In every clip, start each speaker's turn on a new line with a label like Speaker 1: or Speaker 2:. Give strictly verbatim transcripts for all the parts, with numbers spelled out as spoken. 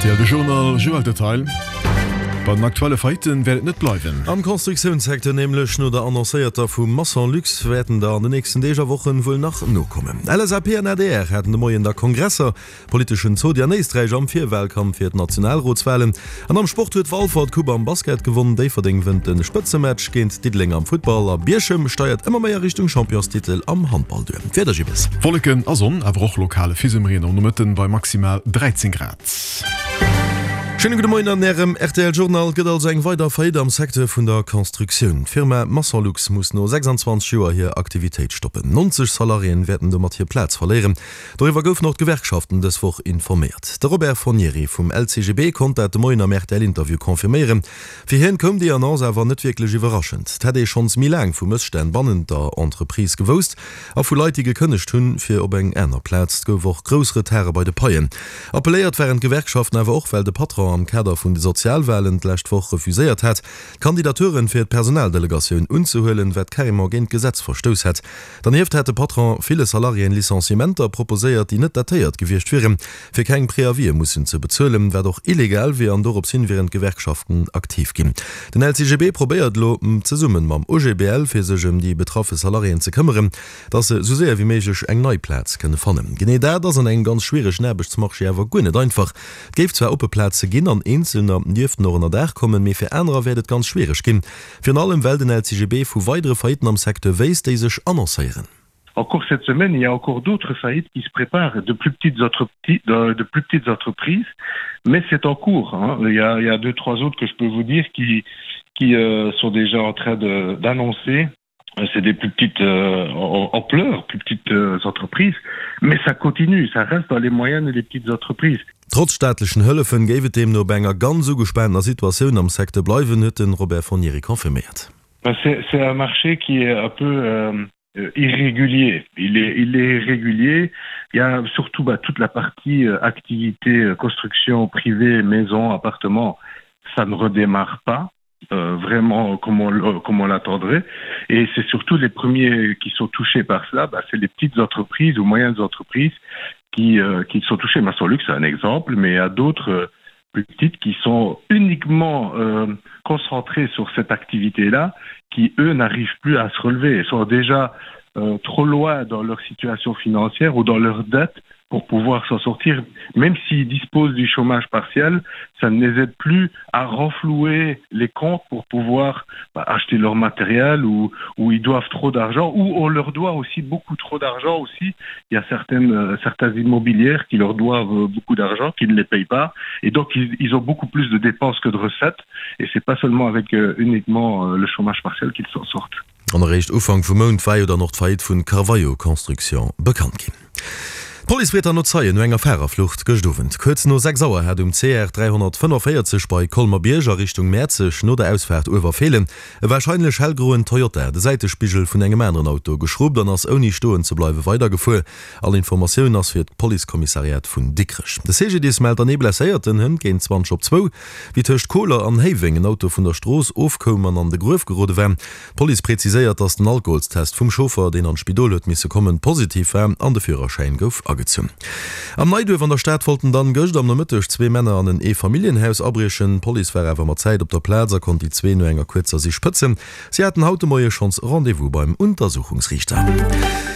Speaker 1: R T L de Journal Joël Detail. Bei den aktuelle Faillitten wäert et net bleiwen.
Speaker 2: Am Constructiounssecteur, nämlech no der annoncéierter vu Maisons Lux, wäerten der an den nächsten Deeg a Wochen wuel nach nokommen. L S A P an A D R haten de Moien da Kongresser, politeschen Zodi an Éisträich am Virwalkampf fir d'Nationalrotswalen. An am Sport huet Walfer d'Coupe am Basket gewonnen, Déifferdeng wënnt de Spëtzematch géint Diddeleng am Futtball a Bierchem steiert ëmmer méi a Richtung Championstitel am Handball duer. D'Wieder, Gibbes.
Speaker 1: Wolleken a Sonn, awer och lokale Fisemreen am Nomëtten bei maximal dräizéng Grad.
Speaker 2: Schéine gudde Moien an Ärem R T L Journal. Gëtt also eng weider Faillite am Secteur vun der Constructioun. D'Firma Maçonlux muss no sechsanzwanzeg Joer hir Aktivitéit stoppen. neunzeg Salariéen wäerten domat hir Plaz verléieren. Doriwwer goufen och d'Gewerkschaften dës Woch informéiert. De Robert Fornieri vum L C G B konnt dat de Moien am R T L-Interview confirméieren. Fir hien koum déi Annonce awer net wierklech iwwerraschend. Et hätt ee schonns méi laang vu Mësstänn bannent der Entreprise gewousst a vu Leit, déi gekënnegt hunn, fir op eng aner Plaz. Et gouf och grouss Retarde bei de Paien. Appelléiert waren d'Gewerkschaften awer och, well de Patron am Kader vun de Sozialwalen d'lescht Woch refuséiert hat, Kandidaturen fir d'Personaldelegatioun unzehuelen, wat carrément géint d'Gesetz verstouss hätt. Dernieft hätt de Patron ville Salariéen Licenciementer proposéiert, déi net datéiert gewiescht wieren, fir keng Préavisë mussen ze bezuelen, wat och illegal wier, an dorops hin wieren d'Gewerkschaften aktiv ginn. Den L C G B probéiert elo zesummen mam O G B L, fir sech ëm déi betraffe Salariéen ze këmmeren, dass se sou séier wéi méiglech eng nei Plaz kënne fannen. Genee dat ass an engem ganz schwieregen Aarbechtsmarché awer guer net einfach. Et géif zwar oppe Plaze ginn an Eenzelner dierften och ënnerdaach kommen, mee fir anerer wäert et ganz schwiereg ginn. Virun allem well den L C G B vu weidere Faillitten am Secteur wéisst, déi sech annoncéieren.
Speaker 3: Encore cette semaine, il y a encore d'autres faillites qui se préparent, de plus petites, de, de plus petites entreprises, mais c'est en cours. Hein. Il, y a, il y a deux, trois autres que je peux vous dire qui, qui euh, sont déjà en train d'annoncer. C'est des plus petites euh, ampleurs, plus petites euh, entreprises, mais ça continue, ça reste dans les moyennes et les petites entreprises.
Speaker 2: Trotz staatlechen Hëllefen géif et deemno bei enger ganz ugespaanter Situatioun am Secteur bleiwen, huet de Robert Fornieri confirméiert.
Speaker 3: C'est un marché qui est un peu euh, irrégulier. Il est, il est irrégulier. Il y a surtout bah, toute la partie euh, activité, euh, construction privée, maison, appartement, ça ne redémarre pas. Euh, vraiment comme on, comme on l'attendrait. Et c'est surtout les premiers qui sont touchés par cela, bah, c'est les petites entreprises ou moyennes entreprises qui, euh, qui sont touchées. Maçonlux, c'est un exemple, mais il y a d'autres euh, plus petites qui sont uniquement euh, concentrées sur cette activité-là, qui, eux, n'arrivent plus à se relever et sont déjà euh, trop loin dans leur situation financière ou dans leur dette pour pouvoir s'en sortir. Même s'ils disposent du chômage partiel, ça ne les aide plus à renflouer les comptes pour pouvoir bah, acheter leur matériel ou, ou ils doivent trop d'argent ou on leur doit aussi beaucoup trop d'argent aussi. Il y a certaines, euh, certaines immobilières qui leur doivent euh, beaucoup d'argent, qui ne les payent pas. Et donc, ils, ils ont beaucoup plus de dépenses que de recettes. Et c'est pas seulement avec euh, uniquement euh, le chômage partiel qu'ils s'en sortent.
Speaker 2: An eréischt Ufank vum Mount war jo dann och d'Faillite vun Carvalho Construction bekannt ginn. D'Police freet dann no Zeien no enger Fahrerflucht gëscht Owend. Kuerz no sechs Auer hat um C R dräihonnertfënnefvéierzeg bei Colmer-Bierg a Richtung Mäerzeg no der Ausfaart Uewerfeelen e warscheinlech hellgroen Toyota de Säitespigel vun engem aneren Auto geschruppt an ass ouni stoen ze bleiwe weidergefuer. All Informatioun ass fir d'Policekommissariat vun Dikrech. De C G D I S mellt dann ee Blesséierten hënt géint zwanzeg op zwou, wéi tëscht Koler an Héiweng en Auto vun der Strooss ofkoum an an de Gruef gerode war. D'Police präziséiert, datt den Alkoholstest vum Chauffer, deen an d'Spidol huet misse kommen, positiv war an de Führerschäin gouf agezunn. Am Neiduerf an der Stad wollten dann gëscht am Nomëtteg zwee Männer an en Eefamilljenhaus abriechen. D'Police war awer mat Zäit op der Plaz a konnt déi zwee no enger kuerzer Sich pëtzen. Si haten haut de Moie schonns Rendez-vous beim Untersuchungsriichter.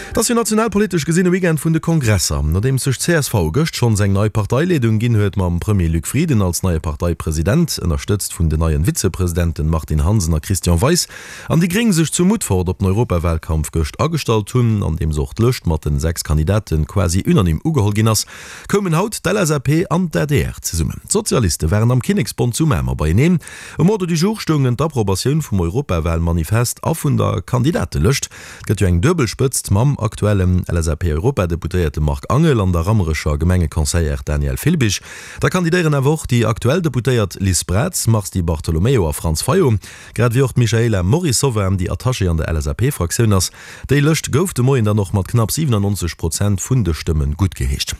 Speaker 2: Et ass jo nationalpolitesch gesinn e Weekend vun de Kongresser. Nodeems sech d'C S V gëscht schonns eng nei Parteileedung ginn huet mam Premier Luc Frieden als neie Parteipresident, ënnerstëtzt vun den neien Vizepresidenten Martine Hansen a Christian Weis, an déi Gréng sech zu Mutfert op den Europawalkampf gëscht agestallt hunn, an deem och d'Lëscht mat den sechs Kandidaten quasi unanim ugeholl ginn ass, koumen haut d'L S A P an d'A D R zesummen. D'Sozialiste waren am Kinneksbond zu Mamer beieneen. Um Ordre du jour stoungen d'Approbatioun vum Europawalmanifest a vun der Kandidatelëscht. Et gëtt jo eng Duebelspëtzt mam aktuellen L S A P-Europadeputéierte Marc Angel an der Rammerecher Gemengeconseillère Danièle Filbig. Da kandidéieren awer och déi aktuell Deputéiert Liz Braz, Mars Di Bartolomeo a Franz Fayot, grad ewéi och d'Michaela Morrisová, déi Attachée an der L S A P-Fraktioun ass. Déi Lëscht gouf de Moien dann och mat knapp siwenannonzeg Prozent vun de Stëmmen Stëmmen guttgeheescht.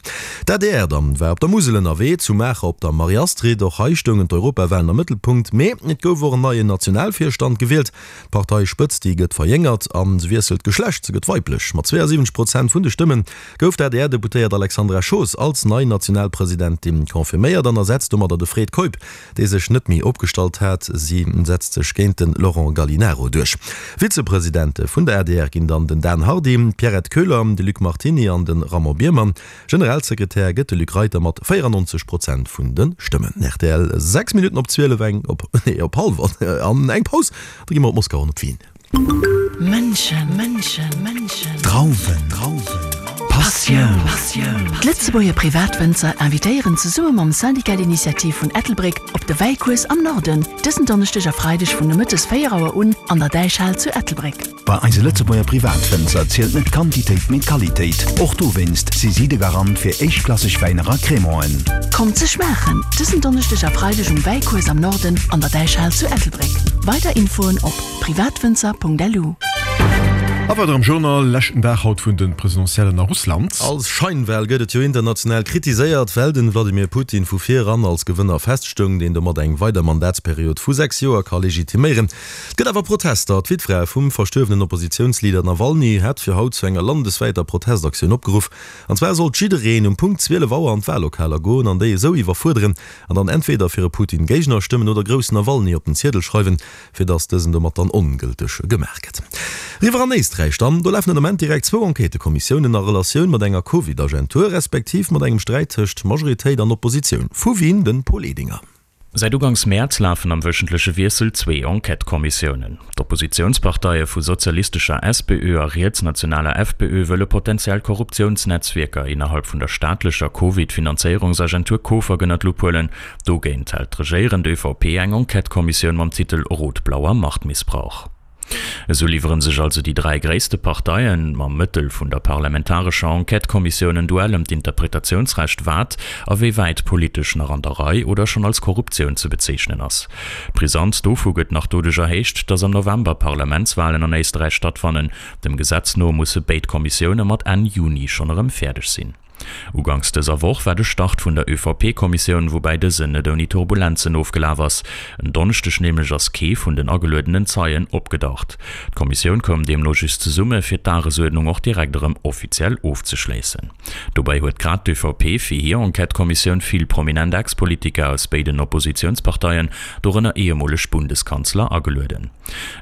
Speaker 2: D'adr dann war op der Musel ënnerwee, zu Maacher op der Marie-Astrid. Och hei stoungen d'Europawalen am Mëttelpunkt, mee et gouf och en neien Nationalvirstand gewielt. D'Parteispëtzt, déi gëtt verjéngert a se wiesselt d'Geschlecht, se gëtt weiblech. Mat zweeënsiwwenzeg Prozent vun de Stëmme gouf d'ADR-Deputéiert Alexandra Schoos als nei Nationalpresidentin confirméiert an ersetzt domadder de Fred Keup, dee sech net méi opgestallt hat. Si setzt sech géint de Laurent Gallinaro duerch. Vizepresidente vun der adr ginn dann den Dan Hardy, d'Pierrette Köhler, de Luc Martini an de Raymond Biermann. Generalsekretär gëtt de Luc Reiter mat véierannonzeg Prozent vun de Stëmmen. Rtl, sechs Minutten op zwielef, eng op, nee, op hallwer an eng Paus, da gi mer op Moskau an op Wien.
Speaker 4: Mënschen, Drauwen, Passioun. D'Lëtzebuerger Privatwënzer invitéieren zesumme mam Syndicat d'Initiative vun Ettelbréck op de Wäicours am Norden, dësen Donneschdeg a Freideg vun nomëttes véier Auer un an der Däichhal zu Ettelbréck.
Speaker 5: Bei eise Lëtzebuerger Privatwënzer zielt net d'Quantitéit, mee d'Qualitéit. Och dowéinst si si de Garant fir éischtklasseg Wäiner a Crémanten.
Speaker 4: Kommt se schmaachen, dësen Donneschdeg a Freideg um Wäicours am Norden an der Däichhal zu Ettelbréck. Weider Infoen op privatwënzer.lu.
Speaker 1: A weider am Journal, Leschten Dag haut vun de Presidentiellen a Russland.
Speaker 2: Als Scheinwahl gëtt et jo international kritiséiert, well den Wladimir Putin vu vir eran als Gewënner feststoung, deen domat eng weider Mandatsperiod vu sechs Joer ka legitiméieren. Et gëtt awer Protester. D'Wittfra vum verstuerwenen Oppositiounsleader Nawalny hat fir haut zu enger landeswäiter Protestaktioun opgeruff. An zwar sollt jiddereen um Punkt zwielef Auer an d'Wallokaler goen an déi esou iwwerfuerderen an dann entweder fir e Putin-Géigner stëmmen oder grouss Nawalny op den Ziedel schreiwen, fir datt dësen domat dann ongëlteg gemaach gëtt. Eriwwer an Éisträich dann, do lafen den Ament direkt zwou Enquêtëkommissiounen a Relatioun mat enger Covid-Agentur, respektiv mat engem Sträit tëscht Majoritéit an Oppositioun. Vu Wien den Paul Edinger.
Speaker 6: Säit uganks Mäerz lafen am wöchentleche Wiessel zwee Enquête-Kommissiounen. D'Oppositiounsparteie vu sozialistescher S P Ö a rietsnationaler F P Ö wëlle potentiell Korruptiounsnetzwierker innerhalb vun der staatlecher Covid-Finanzéierungsagentur COFAG ënner d'Lupp huelen. Dogéint hält d'regéierend Ö V P eng Enquête-Kommissioun mam Titel Rot-blauer Machtmissbrauch. Esou liwwere sech also déi dräi gréisste Parteien mam Mëttel vun der parlamentarescher Enquête-Kommissioun en Duell ëm d'Interpretatiounsrecht, wat a wéi wäit politesch nach an der Rei oder schonn als Korruptioun ze bezeechnen ass. D'Brisanz dovu gëtt nach doduerch erhéicht, datt am November Parlamentswalen an Éisterräich stattfannen. Dem Gesetz no musse béid Kommissioune mat Enn Juni schonn erëm fäerdeg sinn. Uganks dëser Woch war de Start vun der Ö V P-Kommissioun, woubäi dësen net ouni Turbulenzen ofgelaf ass. En Donneschdeg nämlech ass kee vun den ageluedenen Zeien opgedaucht. D'Kommissioun koum deemno just zesumme fir d'Dagesuerdnung och direkt erëm offiziell ofzeschléissen. Dobäi huet grad d'Ö V P fir hir Enquête-Kommissioun vill prominent Ex-Politiker aus béiden Oppositiounsparteien, dorënner ehemoleg Bundeskanzler, agelueden.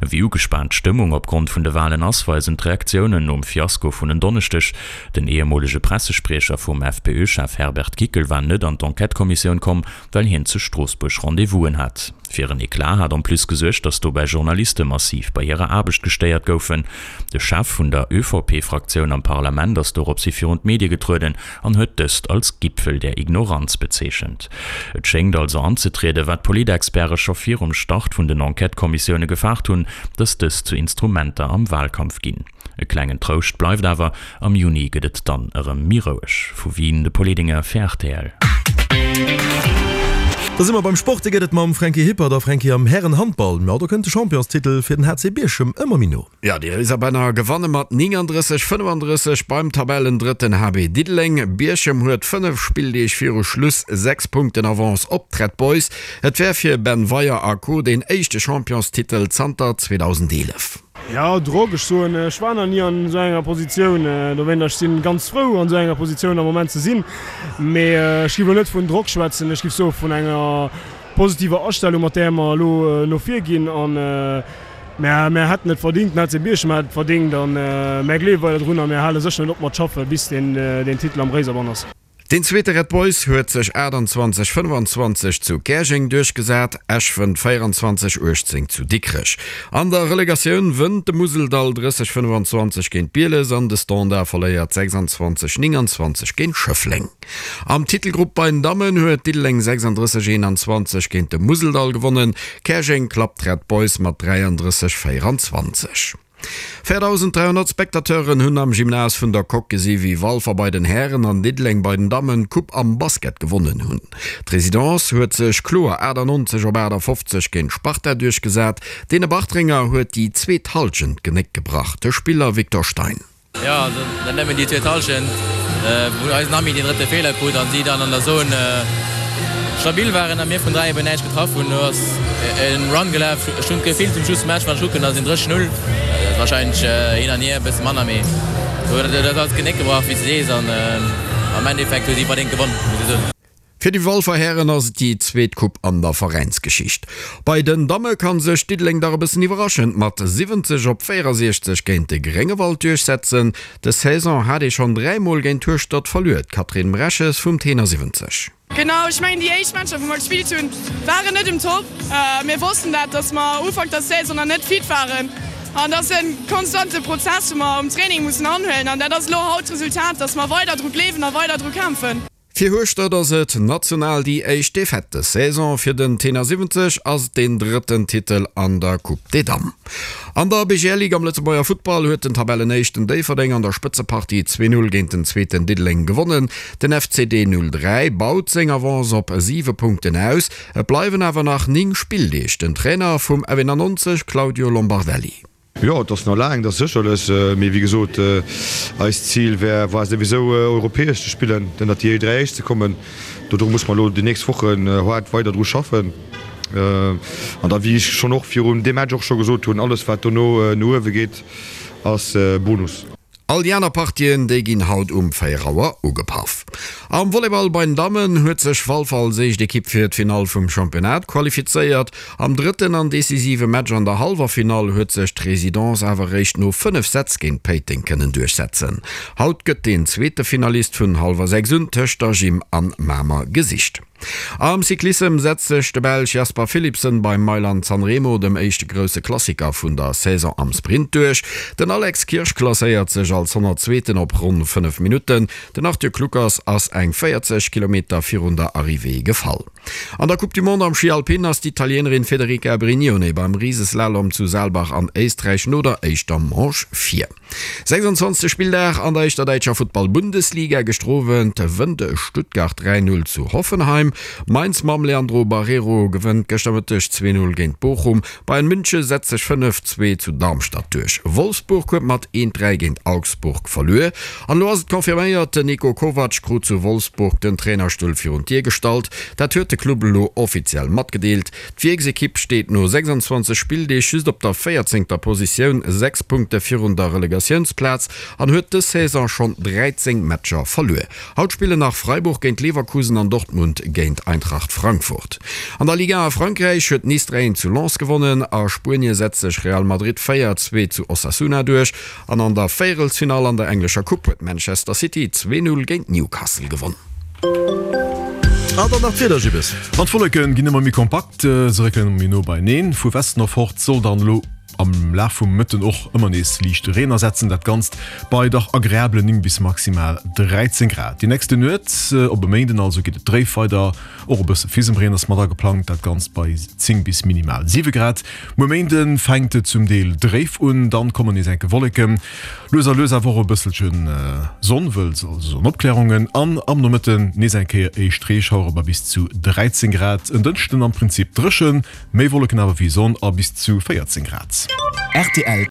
Speaker 6: Wéi ugespaant d'Stëmmung opgrond vun de Walen ass, weisen d'Reaktiounen nom Fiasko vun en Donneschdeg. Den ehemoolege Pressespriecher vum F P Ö-Chef Herbert Kickl war net an d'Enquête-Kommissioun komm, well hien zu Stroossbuerg Rendez-vousen hat. Fir en Eclat hat en plus gesuergt, datt dobäi Journaliste massiv bei hirer Aarbecht gestéiert goufen. De Chef vun der Ö V P-Fraktioun am Parlament ass doropshi virun d'Medie getrueden an huet dëst als Gipfel der Ignoranz bezeechent. Et schéngt also anzetrieden, wat Politexperte scho virum Start vun den Enquête-Kommissioune gefaart hunn, datt dës zu Instrumenter am Walkampf ginn. E klengen Trouscht bleift awer, Am Juni gëtt et dann erëm méi roueg. Vu Wien de Paul Edinger fir R T L.
Speaker 2: Da si mer beim Sport, dee gëtt et mam Franky Hippert. A Franky, am Hären-Handball, jo, do kënnt de Championstitel fir den H C Bierchem ëmmer méi no.
Speaker 7: Jo, déi Réiserbänner gewanne mat néngandrësseg, fënnefandrësseg beim Tabellendrëtten H B Diddeleng. Bierchem huet fënnef Spilldeeg viru Schluss sechs Punkten Avance op d'Red Boys. Et wär fir Ben Weyer a Co. Deen éischte Championstitel zanter zweedausendeelef.
Speaker 8: Jo, Drock, ech soen, ech war nach ni an esou enger Positioun, dowéint ech sinn ganz frou an esou enger Positioun am Moment ze sinn, mee ech giff elo net vun Drock schwätzen, ech giff soe vun enger positiver Astellung, mat där mer elo no vir ginn an mär mär hätten et verdingt, den H C Bierchem hätt et verdingt an mär gleewe weider drun a mär hale sécher net op mat schaffe bis deen deen Titel am Réiserbann ass.
Speaker 7: Deen zweete Red Boys huet sech aachtanzwanzeg, fënnefanzwanzeg zu Käerjeng duerchgesat, Esch wënnt véieranzwanzeg, uechtzéng zu Dikrech. An der Relegatioun wënnt de Museldall drësseg, fënnefanzwanzeg géint Bieles an de Standard verléiert sechsanzwanzeg, nénganzwanzeg géint Schëffleng. Am Titelgrupp bei den Dammen huet Diddeleng sechsandrësseg, eenanzwanzeg géint de Museldall gewonnen, Käerjeng klappt d'Red Boys mat dräiandrësseg, véieranzwanzeg. véierdausend dräihonnert Spectateuren hunn am Gymnase vun der Coque gesi wéi Walfer bei den Hären an Diddeleng bei den Dammen d'Coupe am Basket gewonnen hunn. D'Residence huet sech kloer aachtannonzeg op aachtafofzeg géint Sparta duerchgesat. Deene Bartrenger huet déi zweet Hallschent d'Genéck gebrach, de Spiller Victor Stein.
Speaker 9: Jo, also net nëmmen déi zweet Hallschent, wou eisen Ami deen drëtte Feeler krut an si dann an der Zone stabil waren a mir vun dräi eben näischt getraff hunn. Do ass e Run gelaf. Ech hunn d'Gefill zum Schluss vum Match, wann ech kucken, da sinn drësseg Null. Dat ass warscheinlech hin an hier e bësse manner, mee do huet alles d'Genéck gebrach, wéi s de sees, an am Endeffekt hu si verdéngt gewonn, muss ee soen.
Speaker 7: Fir déi Walfer Hären ass et déi zweet Coupe an der Veräinsgeschicht. Bei den Damme kann sech Diddeleng dach e bëssen iwwerraschend mat siwwenzeg op véierasiechzeg géint de Gréngewald duerchsetzen. Des Saison hat ee schonn dräi Mol géint Hueschtert verluer. D'Catherine Mreches vum Tenor siwwenzeg.
Speaker 10: Genau, ech mengen déi éischt Matcher wou mer gespillt hunn, waren net um Top. Mir wossten dat, datt mer Ufank der Saison nach net fit waren an dat ass e konstante Prozess wou mer um Training mussen anhuelen an dat ass elo haut d'Resultat, datt mer weider dru gleewen a weider dru kämpfen.
Speaker 7: Fir Hueschtert ass et national déi éischt Defaite des Saison, fir den Tenor siwwenzeg ass et deen drëtten Titel an der Coupe des Dames. An der B G L Ligue am Lëtzebuerger Futtball huet den Tabellenéischten Déifferdeng an der Spëtzepartie zwee Null géint den Zweeten Diddeleng gewonnen. Den F C D null dräi baut seng Avance op siwe Punkten aus. Et bleiwen awer nach néng Spilldeeg. Den Trainer vum F eenannonzeg Claudio Lombardelli.
Speaker 11: Jo, et ass nach laang, dat ass sécherlech. Mee wéi gesot, eist Zil wär, war souwisou europäesch ze spillen, ënnert déi dräi Éischt ze kommen. Dodru muss mer elo déi nächst Wochen haart weider dru schaffen. An da, wéi ech schonn och virun deem Match och scho gesot hunn, alles wat dono no uewe geet, ass Bonus.
Speaker 7: All déi aner Partien, déi ginn haut um véier Auer ugepaff. Am Volleyball bei den Dammen huet sech Walfer als éischt Ekipp fir d'Finall vum Championnat qualifizéiert. Am drëtten an decisive Match an der hallwer Finall huet sech d'Residence awer réischt no fënnef Sätz géint Péiteng kënnen duerchsetzen. Haut gëtt deen zweete Finalist vun hallwer sechs un tëscht der Gym an Mamer gesicht. Am Cyclissem setzt sech de Belsch Jasper Philipsen beim Mailand-San Remo, dem éischte grousse Klassiker vun der Saison, am Sprint duerch. Den Alex Kirsch klasséiert sech als Honnertzweeten op ronn fënnef Minutten. Den Arthur Kluckers ass eng véierzeg Kilometer virun der Arrivée gefall. An der Coupe du Monde am Schi Alpin ass d'Italienerin Federica Brignone beim Riseslalom zu Saalbach an Éisträich no der éischter Manche vir. sechsundzwanzeg Spilldag an der éischter däitscher Futtball-Bundesliga, Gëschter Owend wënnt Stuttgart dräi Null zu Hoffenheim. Mainz mam Leandro Barreiro gewënnt gëschter Mëtteg zwee Null géint Bochum. Bayern Münche setzt sech fënnef Zwee zu Darmstadt duerch. Wolfsburg huet mat eent Dräi géint Augsburg verluer. An elo ass et confirméiert, Den Niko Kovac krut zu Wolfsburg den Trainerstull virun d'Dier gestallt. Dat huet de Club elo offiziell matgedeelt. D'Wierksekipp steet no sechsundzwanzeg Spilldeeg just op der véierzéngter Positioun, sechs Punkte virun der Relegatiounsplaz an huet dës Saison schonn dräizéng Matcher verluer. Haut spillen nach Freiburg géint Leverkusen an Dortmund géint Eintracht Frankfurt. An der Ligue un a Frankräich huet Nice dräi eent zu Lens gewonnen. A Spuenie setzt sech Real Madrid véier zwee zu Osasuna duerch an an der Véierelsfinall an der englescher Coupe huet Manchester City zwee Null géint Newcastle gewonn.
Speaker 2: An dann nach d'Wieder, Gibbes.
Speaker 1: An d'Wolleke ginn ëmmer méi kompakt, se réckelen ëmmer méi no beieneen. Vu Westen erfort soll dann elo am Laf vum Mëtten och ëmmer nees liichte Reen asetzen, dat Ganzt bei dach agreablen néng bis maximal dräizéng Grad. Déi nächste Nuet op e Méinden also geet et dréif weider, och e bësse Fisemreen ass mat ageplangt, dat Ganzt bei zéng bis minimal siwe Grad. Muer Méinde fänkt et zum Deel dréif un, dann kommen nees enke Wolleken, lues a lues awer och e bësselche Sonn, wëlls also Sonnopklärungen an am Nomëtten nees eng Kéier éischt Reeschauere bei bis zu dräizéng Grad. En Dënschden am Prinzip dréchen, méi Wolleken awer wéi Sonn a bis zu véierzéng Grad.
Speaker 5: Rtl.